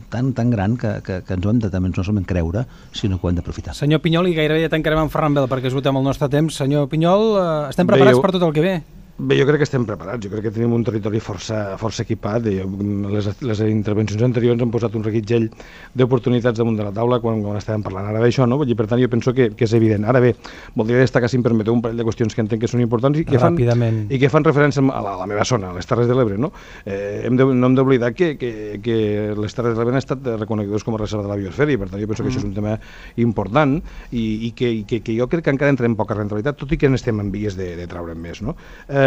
tan gran que ens ho hem de també no solament creure, sinó que ho hem d'aprofitar. Senyor Pinyol, i gairebé ja tancarem amb Ferran Bel perquè esgotem el nostre temps. Senyor Pinyol, estem preparats per tot el que ve? Bé, jo crec que estem preparats, jo crec que tenim un territori força equipat. Les intervencions anteriors han posat un reguitzell d'oportunitats damunt de la taula quan estàvem parlant ara d'això, no? Per tant, jo penso que és evident. Ara bé, voldria destacar, si em permeteu, un parell de qüestions que entenc que són importants i que fan referència a la meva zona, a les Terres de l'Ebre, no? No hem d'oblidar que les Terres de l'Ebre han estat reconegudes com a reserva de la biosfera i per tant jo penso que això és un tema important i que jo crec que encara entrem poca rentabilitat, tot i que n'estem en vies de traure'n més, no?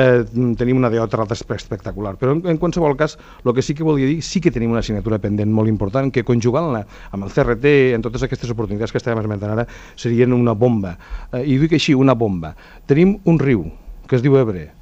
Tenim una DO espectacular, però en qualsevol cas el que sí que volia dir, sí que tenim una assignatura pendent molt important que conjugant-la amb el CRT en totes aquestes oportunitats que estàvem esmentant ara serien una bomba, i dic així, una bomba. Tenim un riu que es diu Ebre,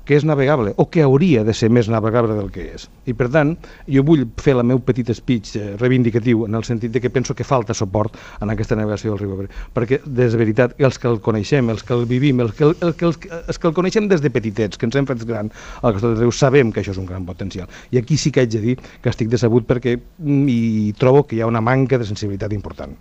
que és navegable, o que hauria de ser més navegable del que és. I per tant, jo vull fer el meu petit speech reivindicatiu en el sentit de que penso que falta suport en aquesta navegació del riu Ebre, perquè, de veritat, els que el coneixem, els que el vivim, els que el coneixem des de petitets, que ens hem fet gran al costat del riu, sabem que això és un gran potencial. I aquí sí que haig de dir que estic decebut perquè hi trobo que hi ha una manca de sensibilitat important.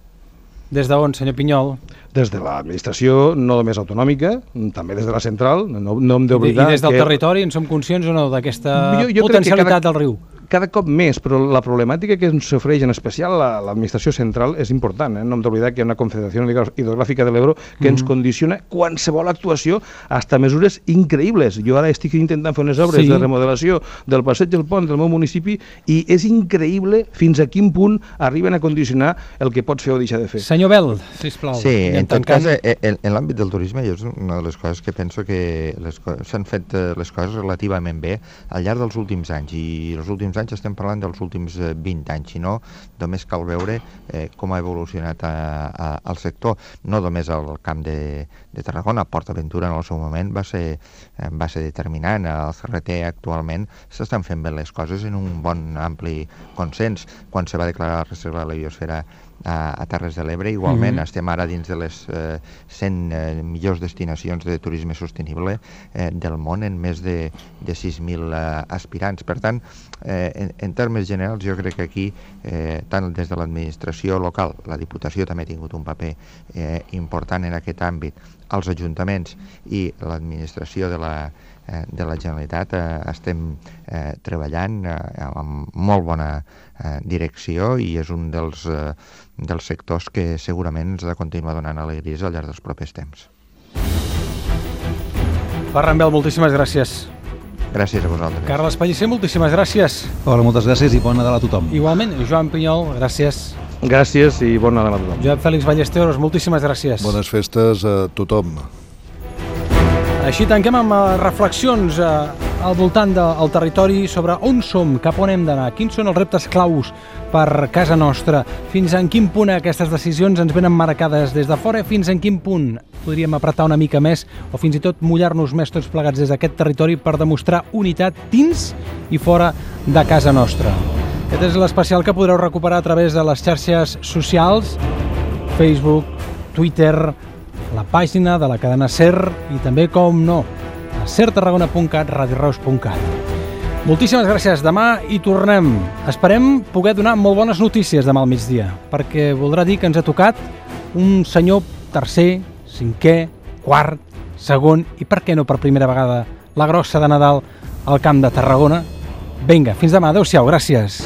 Des d'on, senyor Pinyol? Des de l'administració, no només autonòmica, també des de la central, no hem d'oblidar... I des del territori en som conscients o no d'aquesta potencialitat del riu? cada cop més, però la problemàtica que ens ofereix en especial l'administració central és important. No hem d'oblidar que hi ha una Confederació Hidrogràfica de l'Ebro que ens condiciona qualsevol actuació, hasta mesures increïbles. Jo ara estic intentant fer unes obres de remodelació del passeig del pont del meu municipi i és increïble fins a quin punt arriben a condicionar el que pots fer o deixar de fer. Senyor Bel, sisplau. Sí, en tot cas, en l'àmbit del turisme és una de les coses que penso que s'han fet les coses relativament bé al llarg dels últims anys, i els últims anys estem parlant dels últims 20 anys, si no, només cal veure com ha evolucionat el sector, no només al camp de Tarragona. PortAventura en el seu moment va ser determinant, el CRT actualment s'estan fent bé les coses en un bon ampli consens. Quan se va declarar la reserva de la biosfera a Terres de l'Ebre, igualment estem ara dins de les 100 millors destinacions de turisme sostenible del món, en més de 6.000 aspirants. Per tant, en termes generals, jo crec que aquí, tant des de l'administració local, la Diputació també ha tingut un paper important en aquest àmbit, els ajuntaments i l'administració de la Generalitat estem treballant amb molt bona direcció, i és un dels sectors que segurament ens ha de continuar donant alegries al llarg dels propers temps. Ferran Bel, moltíssimes gràcies. Gràcies a vosaltres. Carles Pellicer, moltíssimes gràcies. Hola, moltes gràcies i bon Nadal a tothom. Igualment, Joan Pinyol, gràcies. Gràcies i bon Nadal a tothom. Josep Fèlix Ballesteros, moltíssimes gràcies. Bones festes a tothom. Així tanquem amb reflexions al voltant del territori sobre on som, cap on hem d'anar, quins són els reptes claus per casa nostra, fins en quin punt aquestes decisions ens venen marcades des de fora, fins en quin punt podríem apretar una mica més o fins i tot mullar-nos més tots plegats des d'aquest territori per demostrar unitat dins i fora de casa nostra. Aquest és l'especial que podreu recuperar a través de les xarxes socials, Facebook, Twitter, la pàgina de la cadena SER i també, com no, a sertarragona.cat, radioreus.cat. Moltíssimes gràcies. Demà hi tornem. Esperem poder donar molt bones notícies demà al migdia, perquè voldrà dir que ens ha tocat un senyor tercer, cinquè, quart, segon i, per què no, per primera vegada, la grossa de Nadal al Camp de Tarragona. Vinga, fins demà. Adéu-siau. Gràcies.